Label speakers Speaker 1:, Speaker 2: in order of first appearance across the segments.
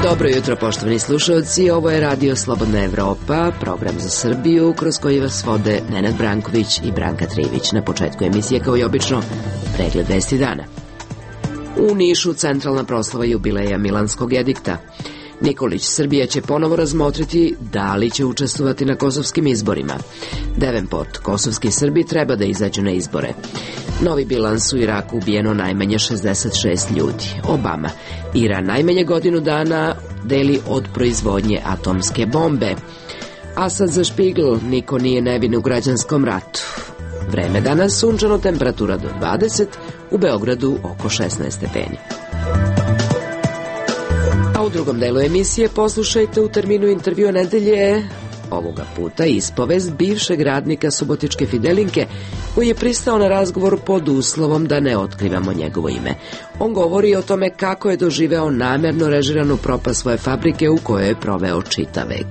Speaker 1: Dobro jutro, poštovani slušalci, ovo je Radio Slobodna Evropa, program za Srbiju, kroz koji vas vode Nenad Branković i Branka Trivić. Na početku emisije, kao i obično, pregled vesti dana. U Nišu centralna proslava jubileja Milanskog edikta. Nikolić, Srbija će ponovo razmotriti da li će učestvovati na kosovskim izborima. Davenport, kosovski Srbi treba da izađu na izbore. Novi bilans, u Iraku ubijeno najmanje 66 ljudi. Obama, Iran najmanje godinu dana deli od proizvodnje atomske bombe. Asad za Špigl, niko nije nevin u građanskom ratu. Vreme danas sunčano, temperatura do 20, u Beogradu oko 16 stepeni. A u drugom delu emisije poslušajte u terminu intervjua nedelje, ovoga puta ispovest bivšeg radnika subotičke Fidelinke, koji je pristao na razgovor pod uslovom da ne otkrivamo njegovo ime. On govori o tome kako je doživeo namerno režiranu propast svoje fabrike u kojoj je proveo čitav vek.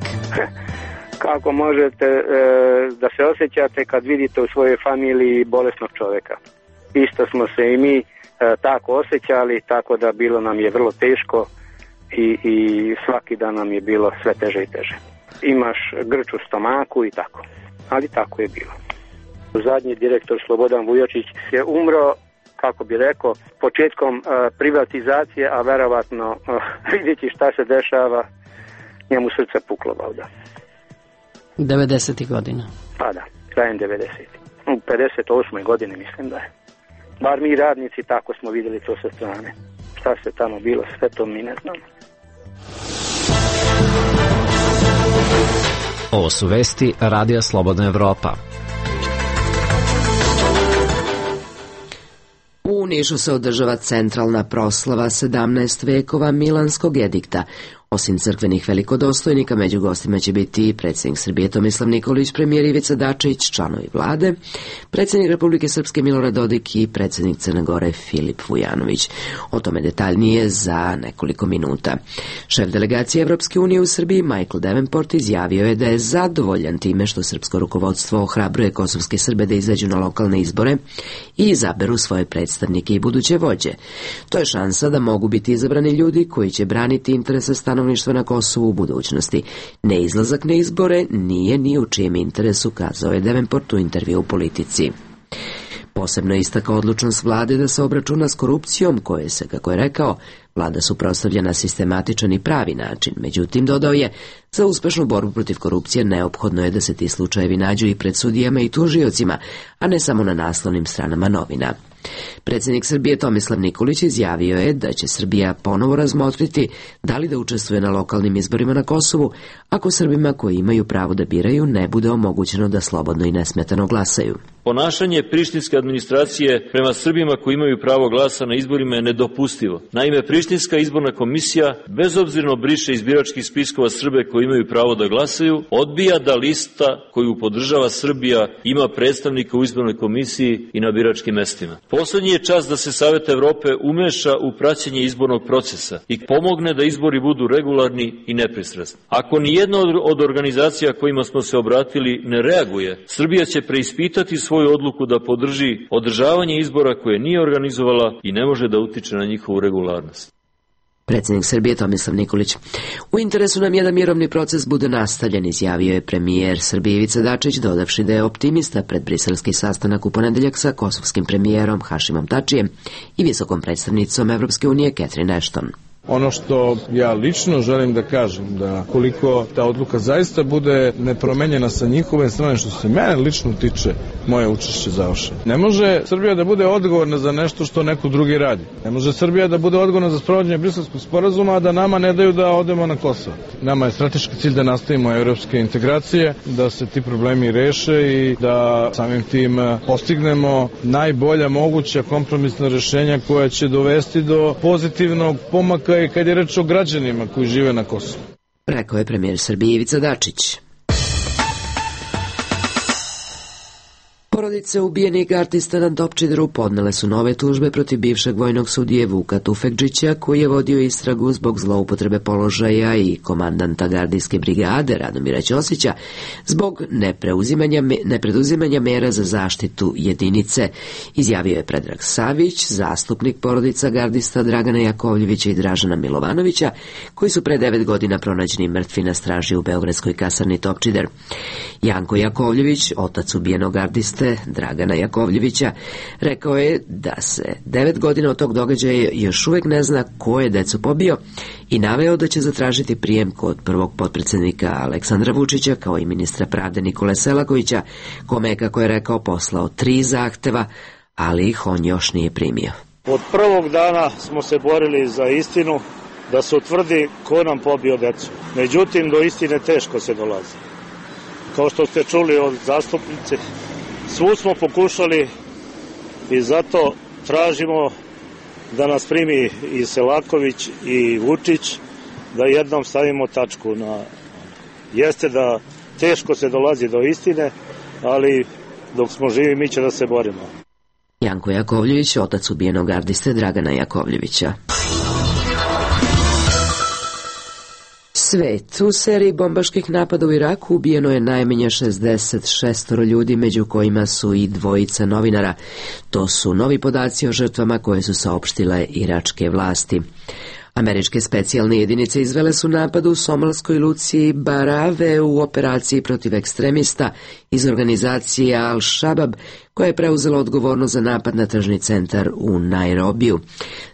Speaker 2: Kako možete da se osjećate kad vidite u svojoj familiji bolesnog čoveka? Isto smo se i mi tako osjećali, tako da bilo nam je vrlo teško i svaki dan nam je bilo sve teže i teže. Imaš grč u stomaku i tako, ali tako je bilo. Zadnji direktor Slobodan Vujočić je umro, kako bi rekao, početkom privatizacije, a verovatno vidjeti šta se dešava, njemu srce puklo valjda.
Speaker 3: 90. godina.
Speaker 2: Pa da, krajem 90. U 58. godini mislim da je. Bar mi radnici tako smo vidjeli to sa strane. Šta se tamo bilo, sve to mi ne znamo.
Speaker 4: Ovo su vesti Radija Slobodna Evropa.
Speaker 1: U Nišu se održava centralna proslava 17 vekova Milanskog edikta. Osim crkvenih velikodostojnika, među gostima će biti i predsjednik Srbije Tomislav Nikolić, premijer Ivica Dačić, članovi vlade, predsjednik Republike Srpske Milorad Dodik i predsjednik Crne Gore Filip Vujanović. O tome detaljnije za nekoliko minuta. Šef delegacije Evropske unije u Srbiji Michael Davenport izjavio je da je zadovoljan time što srpsko rukovodstvo ohrabruje kosovske Srbe da izađu na lokalne izbore i izaberu svoje predstavnike i buduće vođe. To je šansa da mogu biti izabrani ljudi koji će braniti interese stanovništva na Kosovu u budućnosti. Neizlazak na izbore nije ni u čijem interesu, kazao je Davenport u intervju u Politici. Posebno je istakao odlučnost vlade da se obračuna s korupcijom, koje se, kako je rekao, vlada suprotstavlja na sistematičan i pravi način. Međutim, dodao je, za uspešnu borbu protiv korupcije neophodno je da se ti slučajevi nađu i pred sudijama i tužiocima, a ne samo na naslovnim stranama novina. Predsjednik Srbije Tomislav Nikolić izjavio je da će Srbija ponovo razmotriti da li da učestvuje na lokalnim izborima na Kosovu, ako Srbima koji imaju pravo da biraju ne bude omogućeno da slobodno i nesmetano glasaju.
Speaker 5: Ponašanje prištinske administracije prema Srbima koji imaju pravo glasa na izborima je nedopustivo. Naime, prištinska izborna komisija bezobzirno briše iz biračkih spiskova Srbe koji imaju pravo da glasaju, odbija da lista koju podržava Srbija ima predstavnika u izbornoj komisiji i na biračkim mestima. Poslednji je čas da se Savet Evrope umeša u praćenje izbornog procesa i pomogne da izbori budu regularni i nepristrasni. Ako ni jedna od organizacija kojima smo se obratili ne reaguje, Srbija će preispitati svoju odluku da podrži održavanje izbora koje nije organizovala i ne može da utiče na njihovu regularnost.
Speaker 1: Predsjednik Srbije Tomislav Nikolić. U interesu nam je da mirovni proces bude nastavljen, izjavio je premijer Srbije Ivica Dačić, dodavši da je optimista pred briselski sastanak u ponedeljak sa kosovskim premijerom Hašimom Tačijem i visokom predstavnicom Evropske unije Catherine Ashton.
Speaker 6: Ono što ja lično želim da kažem, da koliko ta odluka zaista bude nepromenjena sa njihove strane, što se mene lično tiče, moje učešće završeno. Ne može Srbija da bude odgovorna za nešto što neko drugi radi. Ne može Srbija da bude odgovorna za sprovođenje Briselskog sporazuma, a da nama ne daju da odemo na Kosovo. Nama je strateški cilj da nastavimo evropske integracije, da se ti problemi reše i da samim tim postignemo najbolja moguća kompromisna rešenja koja će dovesti do pozitivnog pomaka i kad je reč o građanima koji žive na Kosovu.
Speaker 1: Rekao je premijer Srbije Ivica Dačić. Porodice ubijenih gardista na Topčideru podnele su nove tužbe protiv bivšeg vojnog sudije Vuka Tufekdžića, koji je vodio istragu zbog zloupotrebe položaja, i komandanta gardijske brigade Radomira Ćosića zbog nepreduzimanja mera za zaštitu jedinice, izjavio je Predrag Savić, zastupnik porodica gardista Dragana Jakovljevića i Dražana Milovanovića, koji su pre 9 godina pronađeni mrtvi na straži u beogradskoj kasarni Topčider. Janko Jakovljević, otac ubijenog gardiste Dragana Jakovljevića, rekao je da se 9 godina od tog događaja još uvek ne zna ko je decu pobio i naveo da će zatražiti prijem kod prvog potpredsjednika Aleksandra Vučića, kao i ministra pravde Nikole Selakovića, kome je, kako je rekao, poslao 3 zahteva, ali ih on još nije primio.
Speaker 7: Od prvog dana smo se borili za istinu, da se utvrdi ko nam pobio decu. Međutim, do istine teško se dolazi. Kao što ste čuli od zastupnice, svu smo pokušali i zato tražimo da nas primi i Selaković i Vučić, da jednom stavimo tačku na... Jeste da teško se dolazi do istine, ali dok smo živi mi će da se borimo.
Speaker 1: Janko Jakovljević, otac ubijenog gardiste Dragana Jakovljevića. Svet. U seriji bombaških napada u Iraku ubijeno je najmanje 66 ljudi, među kojima su i 2 novinara. To su novi podaci o žrtvama koje su saopštile iračke vlasti. Američke specijalne jedinice izvele su napad u somalskoj luci Barave u operaciji protiv ekstremista iz organizacije Al-Shabab, koja je preuzela odgovornost za napad na tržni centar u Nairobiju.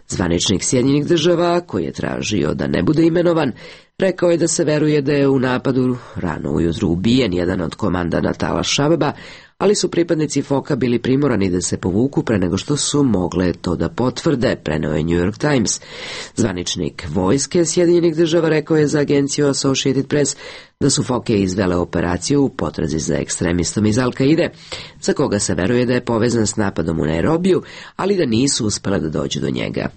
Speaker 1: Zvaničnik Sjedinjenih Država, koji je tražio da ne bude imenovan, rekao je da se veruje da je u napadu rano ujutru ubijen jedan od komandanata Al-Shababa, ali su pripadnici FOK-a bili primorani da se povuku pre nego što su mogle to da potvrde, preneo je New York Times. Zvaničnik vojske Sjedinjenih Država rekao je za agenciju Associated Press da su FOK-e izvele operaciju u potrazi za ekstremistom iz Al-Kaide, za koga se veruje da je povezan s napadom u Nairobiju, ali da nisu uspele da dođu do njega.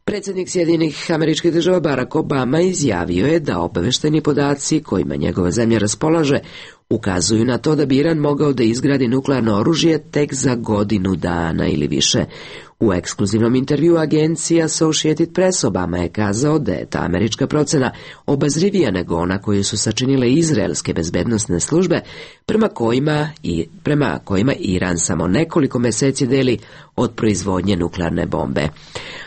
Speaker 1: Predsjednik Sjedinjenih Američkih Država Barack Obama izjavio je da obaveštajni podaci kojima njegova zemlja raspolaže ukazuju na to da bi Iran mogao da izgradi nuklearno oružje tek za godinu dana ili više. U ekskluzivnom intervju agencije Associated Press Obama je kazao da je ta američka procena obazrivija nego ona koju su sačinile izraelske bezbednosne službe, prema kojima Iran samo nekoliko meseci deli od proizvodnje nuklearne bombe.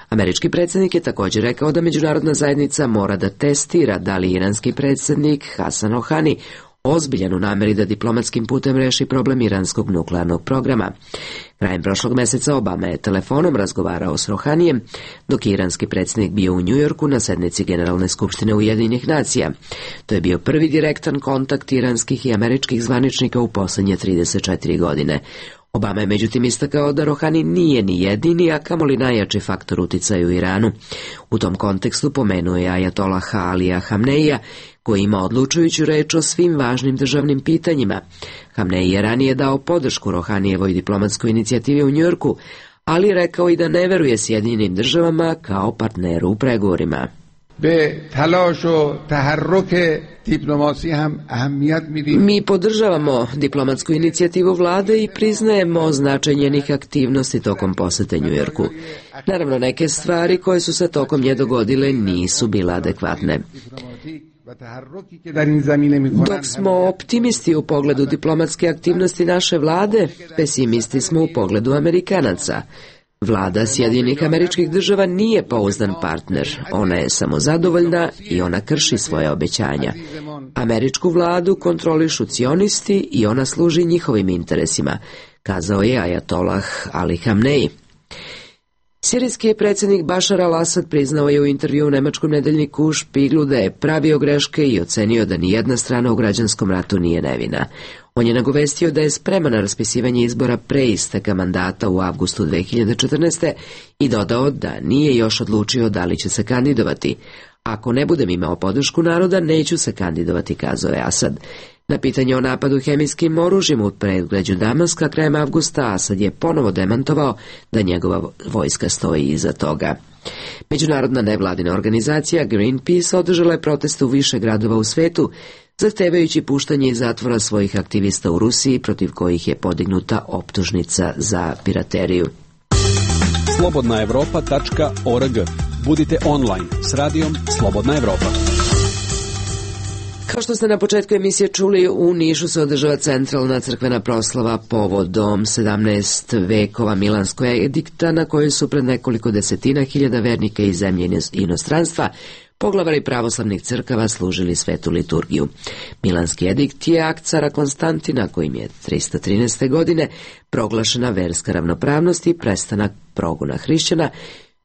Speaker 1: Američki predsjednik je također rekao da međunarodna zajednica mora da testira da li iranski predsjednik Hasan Rohani ozbiljan u nameri da diplomatskim putem reši problem iranskog nuklearnog programa. Krajem prošlog meseca Obama je telefonom razgovarao s Rohanijem, dok je iranski predsjednik bio u Njujorku na sednici Generalne skupštine Ujedinjenih nacija. To je bio prvi direktan kontakt iranskih i američkih zvaničnika u posljednje 34 godine. Obama je međutim istakao da Rohani nije ni jedini, a kamoli najjači faktor uticaju u Iranu. U tom kontekstu pomenuo je ajatolaha Alija Hamneija, koji ima odlučujuću reč o svim važnim državnim pitanjima. Hamneji je ranije dao podršku Rohanijevoj diplomatskoj inicijativi u Njujorku, ali rekao i da ne veruje Sjedinjenim Državama kao partneru u pregovorima. Mi podržavamo diplomatsku inicijativu vlade i priznajemo značaj njenih aktivnosti tokom posete Njujorku. Naravno, neke stvari koje su se tokom nje dogodile nisu bile adekvatne. Dok smo optimisti u pogledu diplomatske aktivnosti naše vlade, pesimisti smo u pogledu Amerikanaca. Vlada Sjedinjenih Američkih Država nije pouzdan partner, ona je samozadovoljna i ona krši svoje obećanja. Američku vladu kontrolišu cionisti i ona služi njihovim interesima, kazao je ajatolah Ali Hamneji. Sirijski predsjednik Bašar al-Asad priznao je u intervju u nemačkom nedeljniku Špiglu da je pravio greške i ocenio da nijedna strana u građanskom ratu nije nevina. On je nagovestio da je spreman na raspisivanje izbora pre isteka mandata u avgustu 2014. i dodao da nije još odlučio da li će se kandidovati. Ako ne budem imao podršku naroda, neću se kandidovati, kazao je Asad. Na pitanje o napadu hemijskim oružjem u predgrađu Damaska krajem avgusta, Asad je ponovo demantovao da njegova vojska stoji iza toga. Međunarodna nevladina organizacija Greenpeace održala je proteste u više gradova u svetu zahtevajući puštanje iz zatvora svojih aktivista u Rusiji protiv kojih je podignuta optužnica za pirateriju.
Speaker 8: slobodnaevropa.org. Budite online s radijom Slobodna Evropa.
Speaker 1: Kao što ste na početku emisije čuli, u Nišu se održava centralna crkvena proslava povodom 17 vekova Milanskog edikta, na kojoj su pred nekoliko desetina hiljada vernika iz zemlje i inostranstva poglavari pravoslavnih crkava služili svetu liturgiju. Milanski edikt je akt cara Konstantina, kojim je 313. godine proglašena verska ravnopravnost i prestanak progona hrišćana,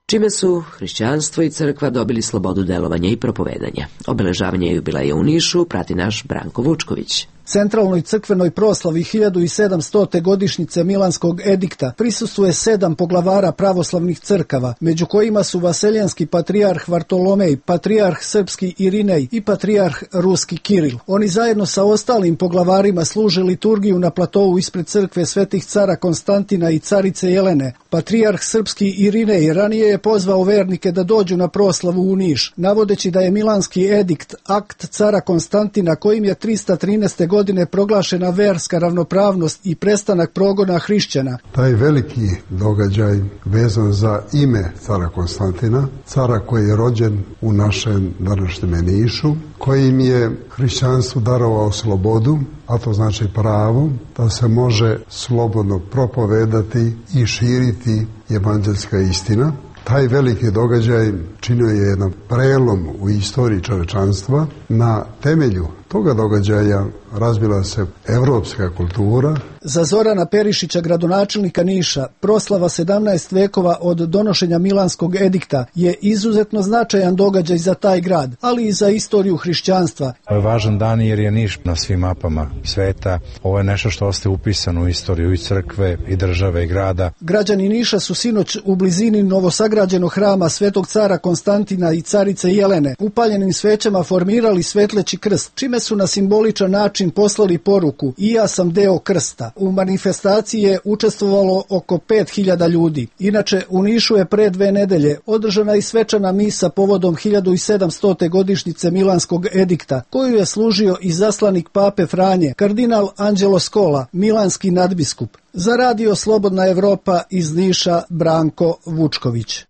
Speaker 1: čime su hrišćanstvo i crkva dobili slobodu delovanja i propovedanja. Obeležavanje jubileja u Nišu prati naš Branko Vučković.
Speaker 9: Centralnoj crkvenoj proslavi 1700. godišnjice Milanskog edikta prisustvuje 7 poglavara pravoslavnih crkava, među kojima su vaseljanski patrijarh Vartolomej, patrijarh srpski Irinej i patrijarh ruski Kiril. Oni zajedno sa ostalim poglavarima služe liturgiju na platovu ispred crkve svetih cara Konstantina i carice Jelene. Patrijarh srpski Irinej ranije je pozvao vernike da dođu na proslavu u Niš, navodeći da je Milanski edikt akt cara Konstantina kojim je 313. godine proglašena verska ravnopravnost i prestanak progona hrišćana.
Speaker 10: Taj veliki događaj vezan za ime cara Konstantina, cara koji je rođen u našem današnjem Nišu, kojim je hrišćanstvu darovao slobodu, a to znači pravo da se može slobodno propovedati i širiti evanđelska istina. Taj veliki događaj činio je jedan prelom u istoriji čovečanstva. Na temelju toga događaja razvila se evropska kultura.
Speaker 9: Za Zorana Perišića, gradonačelnika Niša, proslava 17 vekova od donošenja Milanskog edikta je izuzetno značajan događaj za taj grad, ali i za istoriju hrišćanstva.
Speaker 11: Ovo je važan dan jer je Niš na svim mapama sveta. Ovo je nešto što ostaje upisano u istoriju i crkve, i države, i grada.
Speaker 9: Građani Niša su sinoć u blizini novosagrađenog hrama Svetog cara Konstantina i carice Jelene upaljenim svećama formirali svetleći krst, čime su na simboličan način poslali poruku: i ja sam deo krsta. U manifestaciji je učestvovalo oko 5000 ljudi. Inače, u Nišu je pre 2 nedelje održana i svečana misa povodom 1700. godišnjice Milanskog edikta, koju je služio i zaslanik pape Franje, kardinal Anđelo Skola, milanski nadbiskup. Za radio Slobodna Evropa iz Niša, Branko Vučković.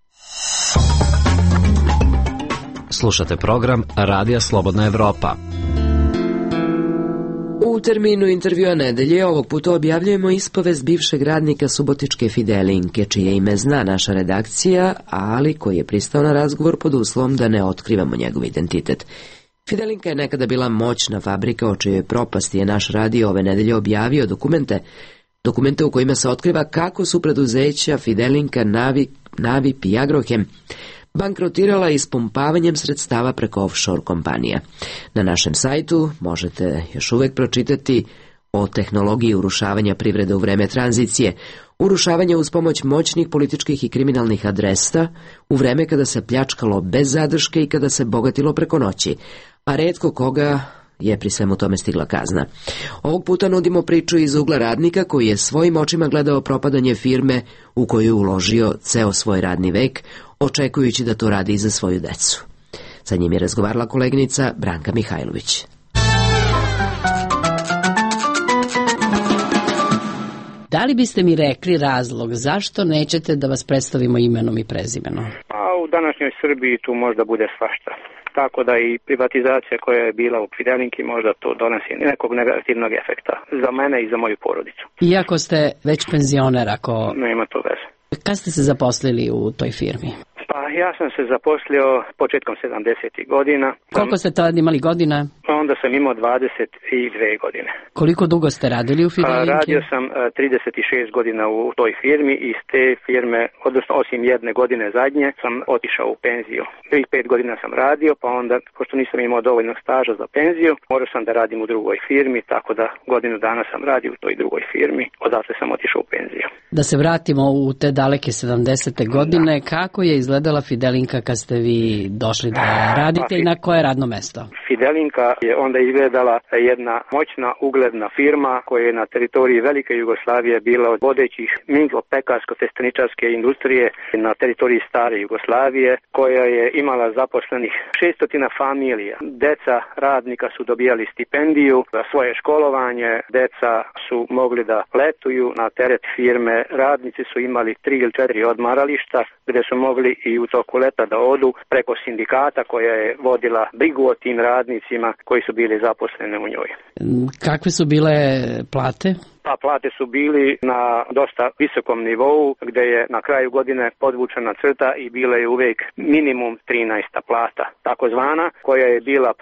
Speaker 4: Slušate program Radija Slobodna Evropa.
Speaker 1: U terminu intervjua nedelje ovog puta objavljujemo ispovest bivšeg radnika subotičke Fidelinke, čije ime zna naša redakcija, ali koji je pristao na razgovor pod uslovom da ne otkrivamo njegov identitet. Fidelinka je nekada bila moćna fabrika, o čijoj propasti je naš radio ove nedelje objavio dokumente u kojima se otkriva kako su preduzeća Fidelinka, Navip i Agrohem bankrotirala ispumpavanjem sredstava preko offshore kompanija. Na našem sajtu možete još uvek pročitati o tehnologiji urušavanja privrede u vreme tranzicije, urušavanja uz pomoć moćnih političkih i kriminalnih adresa, u vreme kada se pljačkalo bez zadrške i kada se bogatilo preko noći, a retko koga je pri svemu tome stigla kazna. Ovog puta nudimo priču iz ugla radnika koji je svojim očima gledao propadanje firme u koju je uložio ceo svoj radni vek, očekujući da to radi i za svoju decu. Sa njim je razgovarala koleginica Branka Mihajlović.
Speaker 3: Da li biste mi rekli razlog zašto nećete da vas predstavimo imenom i prezimenom?
Speaker 2: A u današnjoj Srbiji tu možda bude svašta. Tako da i privatizacija koja je bila u Fidelinki možda to donosi nekog negativnog efekta za mene i za moju porodicu.
Speaker 3: Iako ste već penzioner, ako...
Speaker 2: Nema to veze.
Speaker 3: Kad ste se zaposlili u toj firmi?
Speaker 2: Pa ja sam se zaposlio početkom 70. godina.
Speaker 3: Koliko ste tada imali godina?
Speaker 2: Onda sam imao 22 godine.
Speaker 3: Koliko dugo ste radili u Fidelinki?
Speaker 2: Radio sam 36 godina u toj firmi i iz te firme, odnosno osim jedne godine zadnje, sam otišao u penziju. 5 godina sam radio, pa onda, pošto nisam imao dovoljnog staža za penziju, morao sam da radim u drugoj firmi, tako da godinu dana sam radio u toj drugoj firmi, odatle sam otišao u penziju.
Speaker 3: Da se vratimo u te daleke 70. godine, kako je izgledala Fidelinka kad ste vi došli da radite i na koje radno mesto?
Speaker 2: Fidelinka je onda izgledala jedna moćna ugledna firma koja je na teritoriji Velike Jugoslavije bila od vodećih minglo-pekarsko-testeničarske industrije na teritoriji stare Jugoslavije, koja je imala zaposlenih 600 familija. Deca radnika su dobijali stipendiju za svoje školovanje, deca su mogli da letuju na teret firme, radnici su imali 3 ili 4 odmarališta gde su mogli i u toku leta da odu preko sindikata koja je vodila brigu o tim radnicima koji su bili zaposleni u njoj.
Speaker 3: Kakve su bile plate?
Speaker 2: Pa plate su bili na dosta visokom nivou gde je na kraju godine podvučena crta i bila je uvek minimum 13. plata, takozvana, koja je bila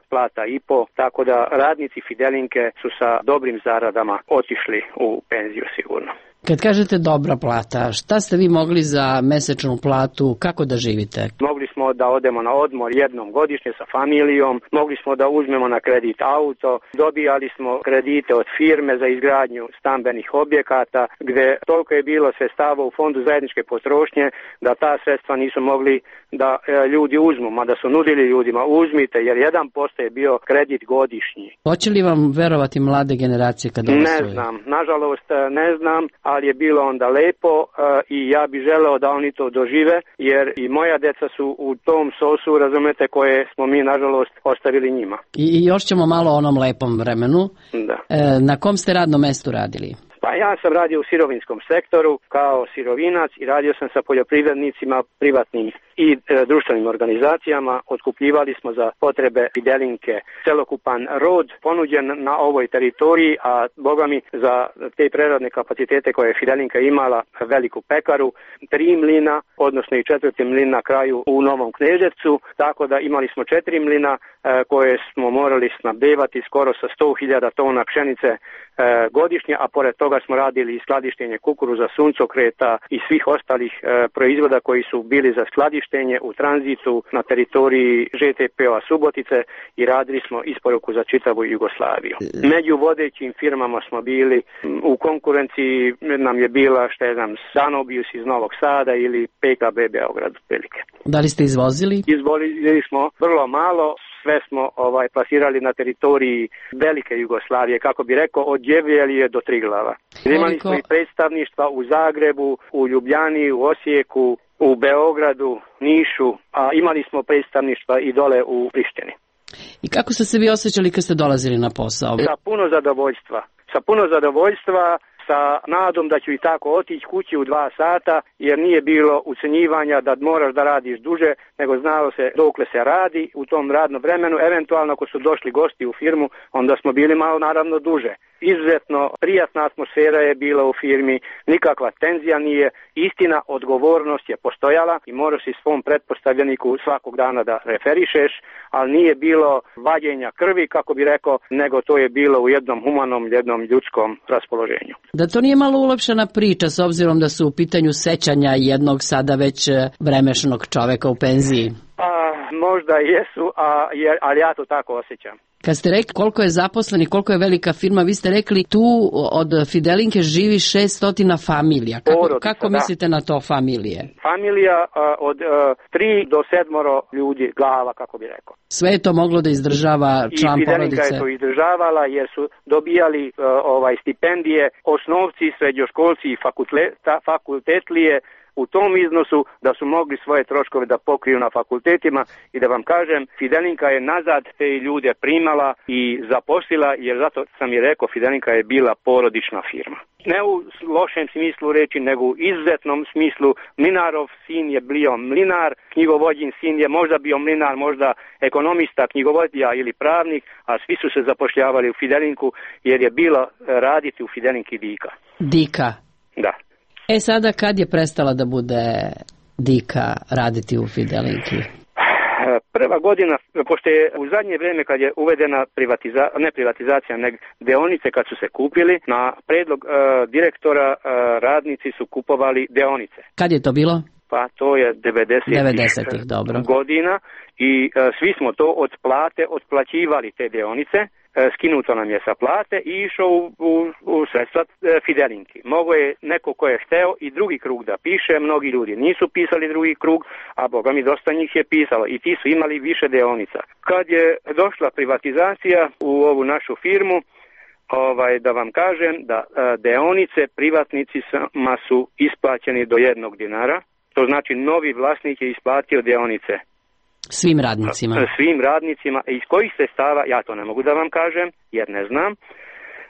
Speaker 2: plata i po, tako da radnici Fidelinke su sa dobrim zaradama otišli u penziju sigurno.
Speaker 3: Kad kažete dobra plata, šta ste vi mogli za mesečnu platu, kako da živite?
Speaker 2: Mogli smo da odemo na odmor jednom godišnje sa familijom, mogli smo da uzmemo na kredit auto, dobijali smo kredite od firme za izgradnju stambenih objekata, gde toliko je bilo sredstava u fondu zajedničke potrošnje da ta sredstva nisu mogli da ljudi uzmu, mada su nudili ljudima uzmite, jer 1% je bio kredit godišnji.
Speaker 3: Hoće li vam verovati mlade generacije kad ovo
Speaker 2: Ne znam, nažalost ne znam, ali je bilo onda lepo i ja bih želeo da oni to dožive, jer i moja deca su u tom sosu, razumete, koje smo mi nažalost ostavili njima.
Speaker 3: I još ćemo malo o onom lepom vremenu.
Speaker 2: Da.
Speaker 3: Na kom ste radnom mestu radili?
Speaker 2: Pa ja sam radio u sirovinskom sektoru kao sirovinac i radio sam sa poljoprivrednicima, privatnim i društvenim organizacijama. Otkupljivali smo za potrebe Fidelinke celokupan rod ponuđen na ovoj teritoriji, a boga mi za te preradne kapacitete koje je Fidelinka imala, veliku pekaru, 3 mlina, odnosno i 4. mlin na kraju u Novom Kneževcu, tako da imali smo 4 mlina koje smo morali snabdevati skoro sa 100.000 tona pšenice godišnje, a pored toga smo radili i skladištenje kukuruza, suncokreta i svih ostalih proizvoda koji su bili za skladištenje u tranzitu na teritoriji ŽTP-a Subotice i radili smo isporuku za čitavu Jugoslaviju. Među vodećim firmama smo bili, u konkurenciji nam je bila, Sanobius iz Novog Sada ili PKB Beograd otprilike.
Speaker 3: Da li ste izvozili?
Speaker 2: Izvozili smo vrlo malo. Sve smo plasirali na teritoriji Velike Jugoslavije, kako bi rekao, od Đevljelije do Triglava. Imali smo i predstavništva u Zagrebu, u Ljubljani, u Osijeku, u Beogradu, Nišu, a imali smo predstavništva i dole u Prištini.
Speaker 3: I kako ste se vi osjećali kad ste dolazili na posao?
Speaker 2: Sa puno zadovoljstva, sa nadom da ću i tako otići kući u 2 sata, jer nije bilo ucenjivanja da moraš da radiš duže, nego znalo se dokle se radi u tom radnom vremenu. Eventualno ako su došli gosti u firmu, onda smo bili malo naravno duže. Izuzetno prijatna atmosfera je bila u firmi, nikakva tenzija nije, istina, odgovornost je postojala i moraš i svom pretpostavljeniku svakog dana da referišeš, ali nije bilo vađenja krvi, kako bi rekao, nego to je bilo u jednom humanom, jednom ljudskom raspoloženju.
Speaker 3: Da to nije malo ulepšana priča s obzirom da su u pitanju sećanja jednog sada već vremešnog čoveka u penziji?
Speaker 2: Možda jesu, ali ja to tako osjećam.
Speaker 3: Kad ste rekli koliko je zaposleni, koliko je velika firma, vi ste rekli tu od Fidelinke živi 600 familija. Kako mislite na to familije?
Speaker 2: Familija od 3 do 7 ljudi, glava, kako bi rekao.
Speaker 3: Sve je to moglo da izdržava član porodice? I
Speaker 2: Fidelinka je to izdržavala jer su dobijali stipendije, osnovci, srednjoškolci i fakultetlije u tom iznosu da su mogli svoje troškove da pokriju na fakultetima i da vam kažem, Fidelinka je nazad te ljude primala i zaposlila, jer zato sam i rekao, Fidelinka je bila porodična firma. Ne u lošem smislu reći, nego u izuzetnom smislu. Mlinarov sin je bio mlinar, knjigovođin sin je možda bio mlinar, možda ekonomista, knjigovodija ili pravnik, a svi su se zapošljavali u Fidelinku jer je bilo raditi u Fidelinki dika.
Speaker 3: Dika?
Speaker 2: Da.
Speaker 3: Sada kad je prestala da bude dika raditi u Fidelinki?
Speaker 2: Prva godina, pošto je u zadnje vrijeme kad je uvedena ne privatizacija, nego deonice kad su se kupili, na predlog direktora radnici su kupovali deonice.
Speaker 3: Kad je to bilo?
Speaker 2: Pa to je 90-ih
Speaker 3: dobro.
Speaker 2: Godina i svi smo to od plate otplaćivali te deonice skinuto nam je sa plate i išao u sredstva Fidelinki. Mogo je neko ko je hteo i drugi krug da piše, mnogi ljudi nisu pisali drugi krug, a boga mi dosta njih je pisalo i ti su imali više deonica. Kad je došla privatizacija u ovu našu firmu, da vam kažem da deonice privatnicima su isplaćeni do 1 dinara, to znači novi vlasnik je isplatio deonice.
Speaker 3: Svim radnicima.
Speaker 2: Svim radnicima. Iz kojih sredstava, ja to ne mogu da vam kažem, jer ne znam,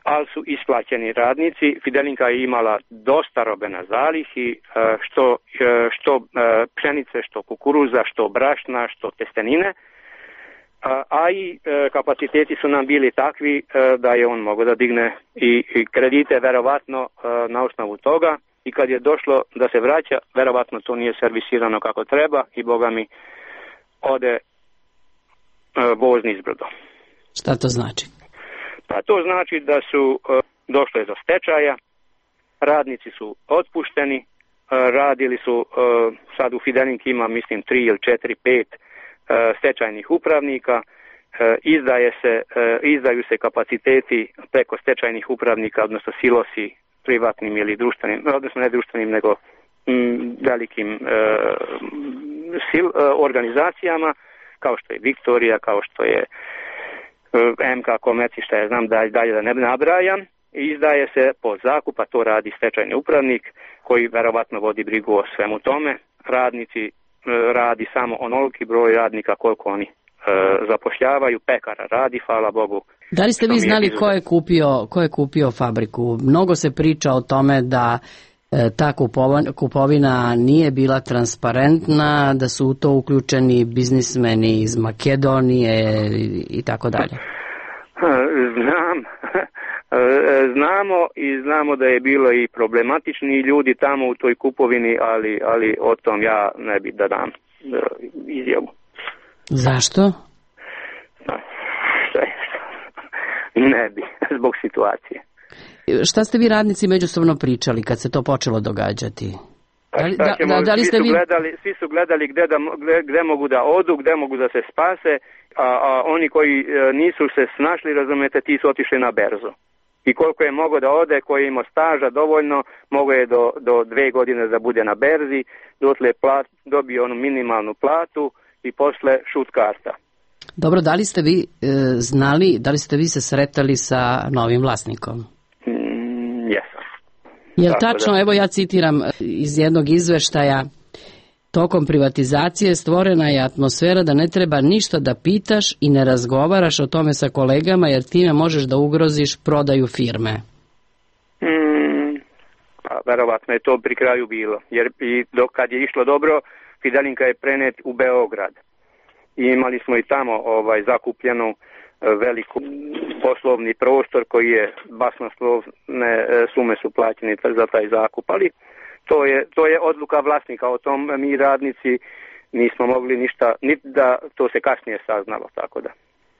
Speaker 2: ali su isplaćeni radnici. Fidelinka je imala dosta robe na zalihi, što pšenice, što kukuruza, što brašna, što testenine, a i kapaciteti su nam bili takvi da je on mogao da digne i kredite verovatno na osnovu toga, i kad je došlo da se vraća, verovatno to nije servisirano kako treba i boga mi ode voz nizbrdo.
Speaker 3: Šta to znači?
Speaker 2: Pa to znači da su došle do stečaja, radnici su otpušteni, radili su, sad u Fidelinki ima mislim 3 ili 4, 5 stečajnih upravnika, izdaju se kapaciteti preko stečajnih upravnika, odnosno silosi privatnim ili društvenim, odnosno ne društvenim nego velikim organizacijama, kao što je Viktorija, kao što je MK Komerci, šta ja znam, dalje da ne nabrajam, izdaje se pod zakup, a to radi stečajni upravnik koji verovatno vodi brigu o svemu tome. Radnici radi samo onoliki broj radnika koliko oni zapošljavaju, pekara radi, hvala Bogu.
Speaker 3: Da li ste vi znali ko je kupio fabriku? Mnogo se priča o tome da ta kupovina nije bila transparentna, da su u to uključeni biznismeni iz Makedonije i tako dalje. Znamo da je bilo i problematični ljudi tamo u toj kupovini, ali o tom ja ne bi da dam izjavu. Zašto?
Speaker 2: Ne bi, zbog situacije.
Speaker 3: Šta ste vi radnici međusobno pričali kad se to počelo događati?
Speaker 2: Svi su gledali gde mogu da odu, gde mogu da se spase, a oni koji nisu se snašli, razumete, ti su otišli na berzu. I koliko je mogo da ode, koji je imao staža dovoljno, mogo je do 2 godine da bude na berzi, dotle dobio onu minimalnu platu i posle šut karta.
Speaker 3: Dobro, da li ste vi znali, da li ste vi se sretali sa novim vlasnikom?
Speaker 2: Jesam.
Speaker 3: Jel tačno, evo ja citiram iz jednog izveštaja, tokom privatizacije stvorena je atmosfera da ne treba ništa da pitaš i ne razgovaraš o tome sa kolegama, jer time možeš da ugroziš prodaju firme.
Speaker 2: Pa verovatno je to pri kraju bilo, jer i kad je išlo dobro, Fidelinka je prenet u Beograd. I imali smo i tamo zakupljenu veliku poslovni prostor koji je basnoslovne sume su plaćene za taj zakup, ali to je odluka vlasnika, o tom mi radnici nismo mogli ništa, niti da to se kasnije saznalo, tako da.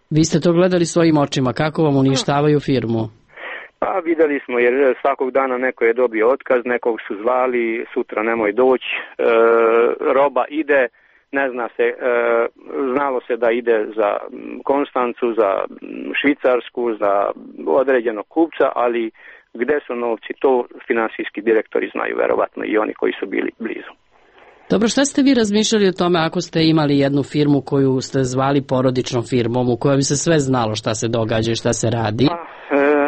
Speaker 3: Vi ste to gledali svojim očima, kako vam uništavaju firmu?
Speaker 2: Pa videli smo, jer svakog dana neko je dobio otkaz, nekog su zvali, sutra nemoj doći, roba ide, ne zna se, znalo se da ide za Konstancu, za Švicarsku, za određenog kupca, ali gde su novci, to finansijski direktori znaju verovatno i oni koji su bili blizu.
Speaker 3: Dobro, šta ste vi razmišljali o tome ako ste imali jednu firmu koju ste zvali porodičnom firmom, u kojoj bi se sve znalo šta se događa i šta se radi?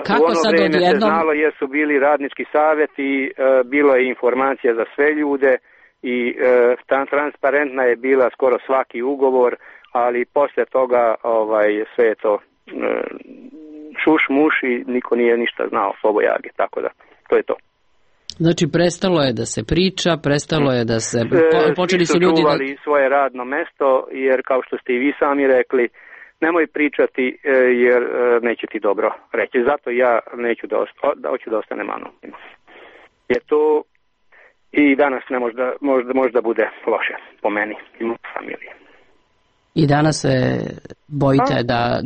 Speaker 2: Kako u ono vreme se znalo jer su bili radnički savjeti, bilo je informacija za sve ljude i transparentna je bila skoro svaki ugovor, ali poslije toga sve je to šuš muš i niko nije ništa znao pobojage, tako da to je to.
Speaker 3: Znači prestalo je da se priča, prestalo je da se počeli su ljudi
Speaker 2: čuvali svoje radno mesto, jer kao što ste i vi sami rekli, nemoj pričati jer neće ti dobro reći. Zato ja neću hoću da ostanem anonim. Jer to i danas ne možda bude loše po meni i mojoj familiji.
Speaker 3: I danas se bojite da...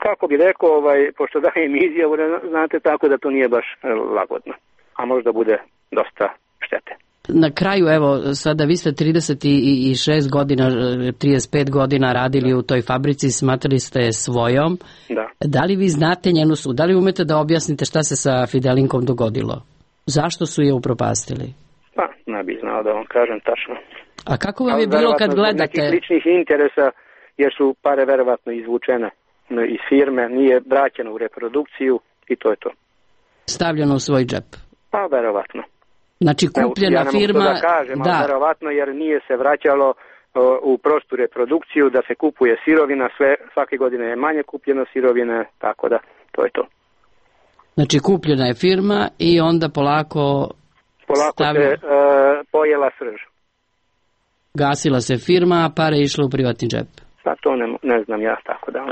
Speaker 2: Kako bi rekao, pošto dajem izjavu, znate, tako da to nije baš lagodno. A možda bude dosta štete.
Speaker 3: Na kraju, evo, sada vi ste 36 godina, 35 godina radili u toj fabrici, smatrali ste svojom.
Speaker 2: Da.
Speaker 3: Da li vi znate njenu sud? Da li umete da objasnite šta se sa Fidelinkom dogodilo? Zašto su je upropastili?
Speaker 2: Pa, ne bih znao da vam kažem tačno.
Speaker 3: A kako vam je bilo kad gledate?
Speaker 2: Nekih ličnih interesa, jer su pare verovatno izvučene iz firme, nije vraćeno u reprodukciju i to je to.
Speaker 3: Stavljeno u svoj džep?
Speaker 2: Pa, verovatno.
Speaker 3: Znači kupljena firma...
Speaker 2: Ja ne mogu to da kažem, ali verovatno, jer nije se vraćalo u prostu reprodukciju, da se kupuje sirovina, svake godine je manje kupljeno sirovine, tako da, to je to.
Speaker 3: Znači kupljena je firma i onda polako
Speaker 2: se pojela srž.
Speaker 3: Gasila se firma, a pare išle u privatni džep.
Speaker 2: Pa to ne znam ja, tako da.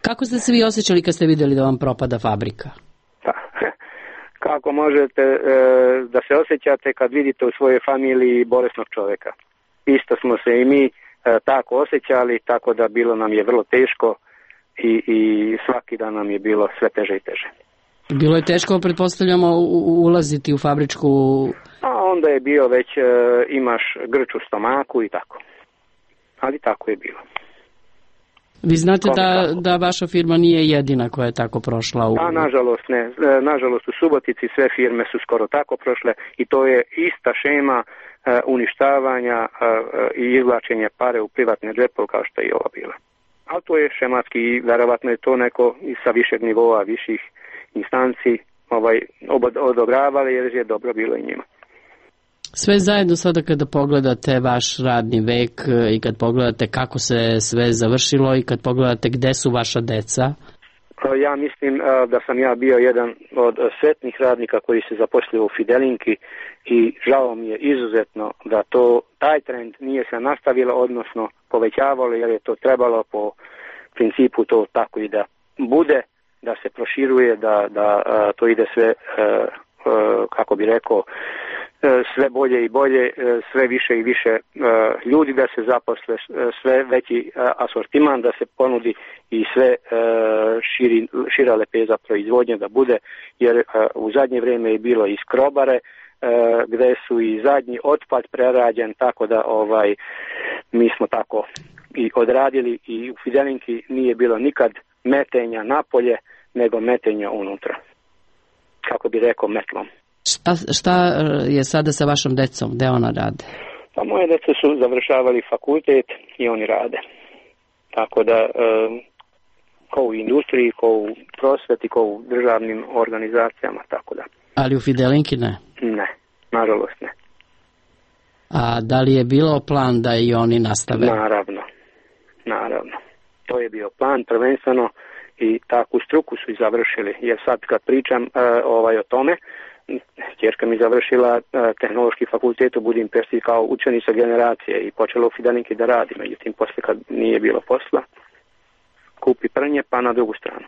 Speaker 3: Kako ste se vi osjećali kad ste vidjeli da vam propada fabrika?
Speaker 2: Pa, kako možete da se osjećate kad vidite u svojoj familiji bolesnog čovjeka? Isto smo se i mi tako osjećali, tako da bilo nam je vrlo teško i svaki dan nam je bilo sve teže i teže.
Speaker 3: Bilo je teško, pretpostavljamo, ulaziti u fabričku...
Speaker 2: A onda je bio već, imaš grč u stomaku i tako. Ali tako je bilo.
Speaker 3: Vi znate da vaša firma nije jedina koja je tako prošla u...
Speaker 2: A nažalost ne. Nažalost u Subotici sve firme su skoro tako prošle i to je ista šema uništavanja i izvlačenja pare u privatne džepove kao što je i ova bila. Ali to je šematski i verovatno je to neko sa višeg nivoa, viših instanci odobravali jer je dobro bilo i njima.
Speaker 3: Sve zajedno sada kada pogledate vaš radni vek i kad pogledate kako se sve završilo i kad pogledate gde su vaša deca?
Speaker 2: Ja mislim da sam ja bio jedan od sretnih radnika koji se zaposlio u Fidelinki i žao mi je izuzetno da taj trend nije se nastavilo, odnosno povećavalo, jer je to trebalo po principu to tako i da bude, da se proširuje, da to ide sve, kako bi rekao, sve bolje i bolje, sve više i više ljudi da se zaposle, sve veći asortiman da se ponudi i sve šira lepeza proizvodnje da bude, jer u zadnje vrijeme je bilo i skrobare gdje su i zadnji otpad prerađen, tako da mi smo tako i odradili i u Fidelinki nije bilo nikad metenja napolje, nego metenja unutra, kako bi rekao, metlom.
Speaker 3: Šta je sada sa vašom decom? Gde ona rade?
Speaker 2: Pa moje dece su završavali fakultet i oni rade. Tako da, kao u industriji, kao u prosveti, kao u državnim organizacijama, tako da.
Speaker 3: Ali u Fidelinki ne?
Speaker 2: Ne, nažalost ne.
Speaker 3: A da li je bilo plan da i oni nastave?
Speaker 2: Naravno. To je bio plan prvenstveno i takvu struku su i završili. Jer sad kad pričam o tome, ćerka mi završila tehnološki fakultet u Budimpešti kao učenica generacije i počela u Fidelinki da radi. Međutim, poslije kad nije bilo posla, kupi prnje pa na drugu stranu.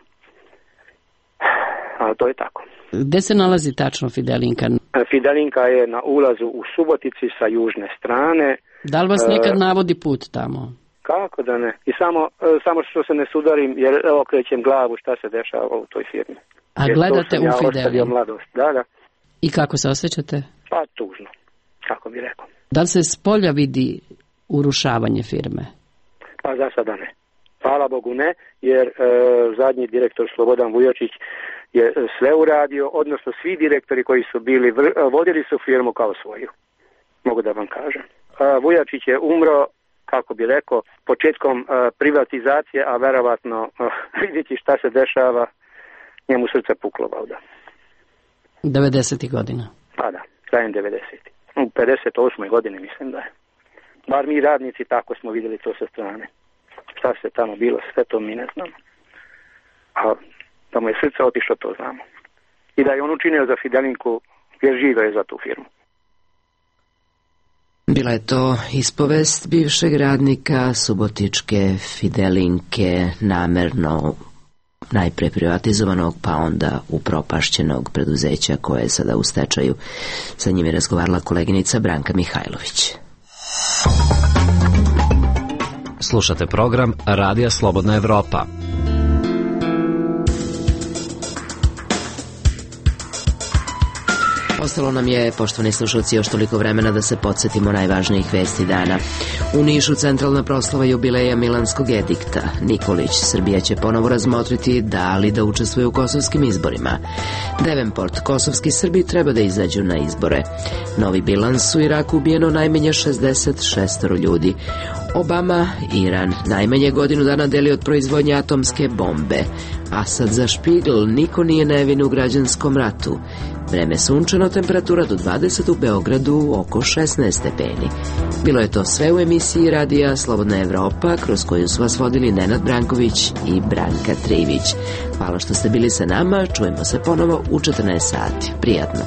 Speaker 2: Ali to je tako.
Speaker 3: Gde se nalazi tačno Fidelinka?
Speaker 2: Fidelinka je na ulazu u Subotici sa južne strane.
Speaker 3: Da li vas nekad navodi put tamo?
Speaker 2: Kako da ne? I samo što se ne sudarim jer okrećem glavu šta se dešava u toj firmi.
Speaker 3: A jer gledate u Fidelinku?
Speaker 2: Mladost. Da.
Speaker 3: I kako se osjećate?
Speaker 2: Pa tužno, kako bi rekao.
Speaker 3: Da li se s polja vidi urušavanje firme?
Speaker 2: Pa za sada ne. Hvala Bogu ne, jer zadnji direktor Slobodan Vujačić je sve uradio, odnosno svi direktori koji su bili, vodili su firmu kao svoju. Mogu da vam kažem. Vujačić je umro, kako bi rekao, početkom privatizacije, a verovatno vidjeti šta se dešava, njemu srce puklo valjda.
Speaker 3: 90. godina.
Speaker 2: Pa da, krajem 90. U 58. godini mislim da je. Bar mi radnici tako smo vidjeli to sa strane. Šta se tamo bilo, sve to mi ne znamo. A da mu je srce otišlo, to znamo. I da je on učinio za Fidelinku, jer živio je za tu firmu.
Speaker 1: Bila je to ispovest bivšeg radnika Subotičke Fidelinke, namerno najpre privatizovanog, pa onda upropašćenog preduzeća koje je sada u stečaju. Sa njim je razgovarala koleginica Branka Mihajlović.
Speaker 4: Slušate program Radija Slobodna Evropa.
Speaker 1: Ostalo nam je, poštovani slušalci, još toliko vremena da se podsjetimo najvažnijih vesti dana. U Nišu centralna proslava jubileja Milanskog edikta. Nikolić, Srbija će ponovo razmotriti da li da učestvuje u kosovskim izborima. Davenport, kosovski Srbi treba da izađu na izbore. Novi bilans, u Iraku ubijeno najmanje 66 ljudi. Obama, Iran, najmanje godinu dana deli od proizvodnje atomske bombe. Asad za Špigl, niko nije nevin u građanskom ratu. Vreme sunčano, temperatura do 20, u Beogradu oko 16 stepeni. Bilo je to sve u emisiji Radija Slobodna Evropa, kroz koju su vas vodili Nenad Branković i Branka Trivić. Hvala što ste bili sa nama, čujemo se ponovo u 14 sati. Prijatno.